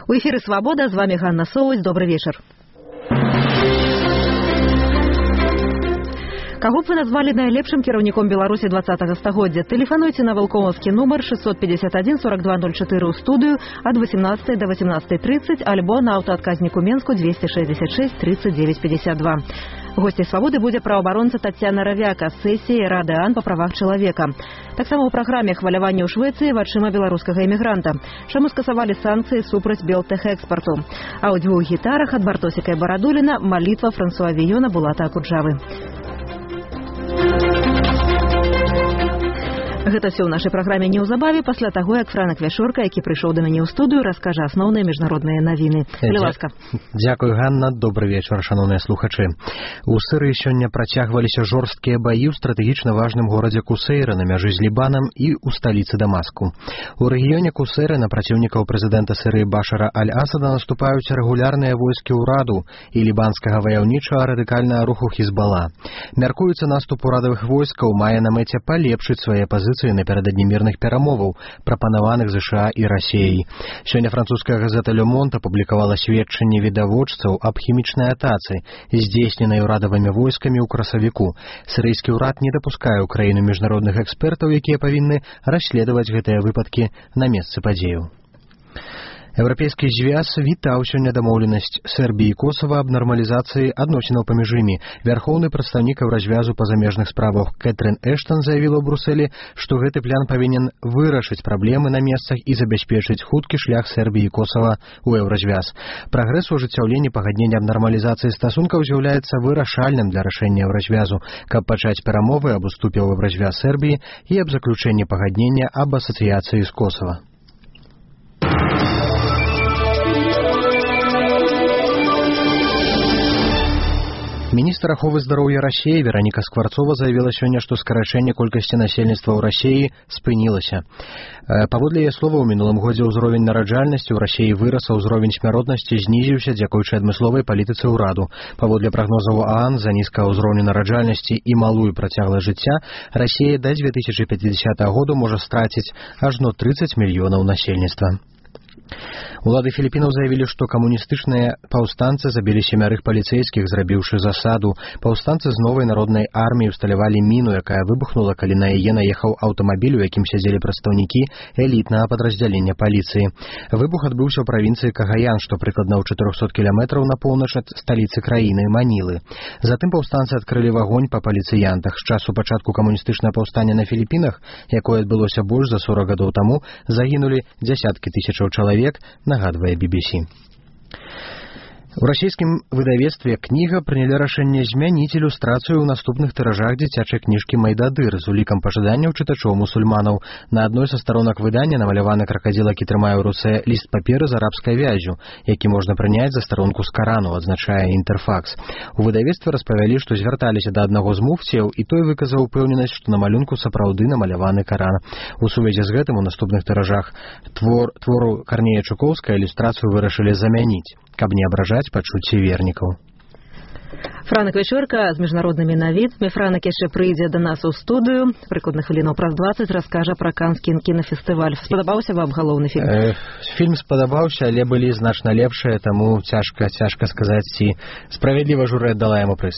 У эфире «Свобода», с вами Ганна Соусь. Добрый вечер. Каго б вы назвали найлепшым кіраўніком Беларусі 20-го стагоддзя? Тэлефануйце на валкомаўскі нумар 651 4204 ў студыю ад 18 до 18:30 альбо на аўтаадказніку Менску 266 39 52. Госцей «Свободы» будзе праваабаронца Таццяна Равяка з сесіі Рады ААН па правах чалавека. Таксама ў праграме хваляванне ў Швецыі вачыма беларускага эмігранта. Чаму скасавалі санкцыі супраць белтэхэкспарту? А ў дзвюх гітарах ад Бартосіка і Барадуліна малітва Франсуа Віёна Булата Акуджавы. Гэта все ў нашай праграме неўзабаве, пасля таго, як Франак Вяшорка, які прыйшоў да мяне ў студыю, раскажа асноўныя міжнародныя навіны. Ласка. Дзякуй, Ганна. Добры вечар, шаноўныя слухачы. У Сырыі сёння працягваліся жорсткія баі ў стратэгічна важным горадзе Кусейра на мяжы з Лібанам і ў сталіцы Дамаску. У рэгіёне Кусейра на праціўнікаў прэзідэнта Сырыі Башара Аль-Асада наступаюць рэгулярныя войскі ўраду і лібанскага ваяўнічага радыкальнага руху Хізбала. Мяркуецца, наступ урадавых войскаў мае на мэце палепшыць свае пазіцыі напярэдадні мірных перамоваў, прапанаваных США і Расіяй. Сёння французская газета «Ле Монт» апублікавала сведчанні відавочцаў аб хімічнай атацы, здзейсненай урадавымі войскамі ў красавіку. Сірыйскі ўрад не дапускае ў краіну міжнародных экспертаў, якія павінны расследаваць гэтыя выпадкі на месцы падзеяў. Еўрапейскі звяз вітаў сёння дамоўленасць Сербіі і Косава аб нармалізацыі адносінаў паміж імі. Вярхоўны прадстаўнік Еўразвязу па замежных справах Кэтрын Эштон заявіла ў Брусэлі, што гэты план павінен вырашыць праблемы на месцах і забяспечыць хуткі шлях Сербіі і Косава ў Еўразвяз. Прагрэс у ажыццяўленні пагаднення аб нармалізацыі стасункаў з'яўляецца вырашальным для рашэння Еўразвязу, каб пачаць перамовы аб уступе ў Еўразвяз Сербіі і аб заключэнні пагаднення аб асацыяцыі з Косава. Міністр аховы здароўя Расіі Вераніка Скварцова заявіла сёння, што скарачэнне колькасці насельніцтва ў Расіі спынілася. Паводле яе слова, у мінулым годзе ўзровень нараджальнасці ў Расіі вырас, а ўзровень смяротнасці знізіўся дзякуючы адмысловай палітыцы ўраду. Паводле прагнозаў ААН, з-за нізкага ўзроўню нараджальнасці і малую працягласць жыцця, Расія да 2050 году можа страціць ажно 30 мільёнаў насельніцтва. Улады Філіпінаў заявілі, што камуністычныя паўстанцы забілі 7 паліцэйскіх, зрабіўшы засаду. Паўстанцы з новай народнай арміі ўсталявалі міну, якая выбухнула, калі на яе наехаў аўтамабіль, у якім сядзелі прадстаўнікі элітнага падраздзялення паліцыі. Выбух адбыўся ў правінцыі Кагаян, што прыкладна ў 400 кіламетраў на поўнач ад сталіцы краіны Манілы. Затым паўстанцы адкрылі вагонь па паліцыянтах. З часу пачатку камуністычнага паўстання на Філіпінах, якое адбылося больш за 40 гадоў таму, загінулі дзясяткі тысячаў чалавек, нагадвае BBC. У расійскім выдавецтве «Кніга» прынялі рашэнне змяніць ілюстрацыю ў наступных тыражах дзіцячай кніжкі «Майдадыр» з улікам пажаданняў чытачоў-мусульманаў. На адной са старонак выдання намаляваны кракадзіл, які трымае ў руцэ ліст паперы з арабскай вяззю, які можна прыняць за старонку з Карану, адзначае «Інтэрфакс». У выдавецтве распавялі, што звярталіся да аднаго з муфціяў, і той выказаў упэўненасць, што на малюнку сапраўды намаляваны Каран. У сувязі з гэтым у наступных тыражах твору Карнея Чукоўская ілюстрацыю вырашылі замяніць, каб не абражаць пачуцці вернікаў. Франак Вячорка з міжнароднымі навінамі. Франак яшчэ прыйдзе да нас у студыю. Прыкладна хвілінаў праз 20 раскажа пра Канскі кінафестываль. Спадабаўся вам галоўны фільм? Фільм спадабаўся, але былі значна лепшыя, таму цяжка сказаць, ці справядліва журы аддала яму прыз.